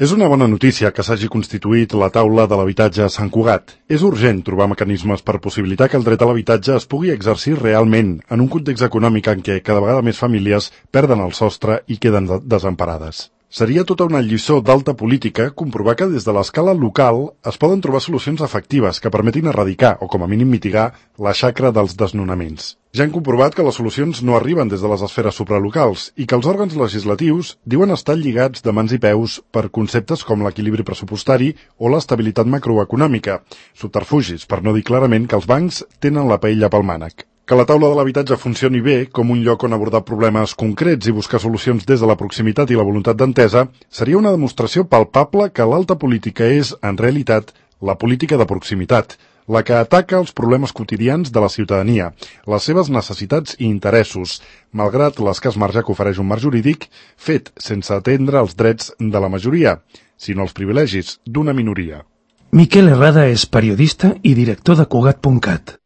És una bona notícia que s'hagi constituït la taula de l'habitatge a Sant Cugat. És urgent trobar mecanismes per possibilitar que el dret a l'habitatge es pugui exercir realment en un context econòmic en què cada vegada més famílies perden el sostre i queden desemparades. Seria tota una lliçó d'alta política comprovar que des de l'escala local es poden trobar solucions efectives que permetin erradicar o com a mínim mitigar la xacra dels desnonaments. Ja han comprovat que les solucions no arriben des de les esferes supralocals i que els òrgans legislatius diuen estar lligats de mans i peus per conceptes com l'equilibri pressupostari o l'estabilitat macroeconòmica, subterfugis, per no dir clarament que els bancs tenen la paella pel mànec. Que la taula de l'habitatge funcioni bé com un lloc on abordar problemes concrets i buscar solucions des de la proximitat i la voluntat d'entesa seria una demostració palpable que l'alta política és, en realitat, la política de proximitat, la que ataca els problemes quotidians de la ciutadania, les seves necessitats i interessos, malgrat l'escàs marge que ofereix un marc jurídic fet sense atendre els drets de la majoria, sinó els privilegis d'una minoria. Miquel Herrada és periodista i director de Cugat.cat.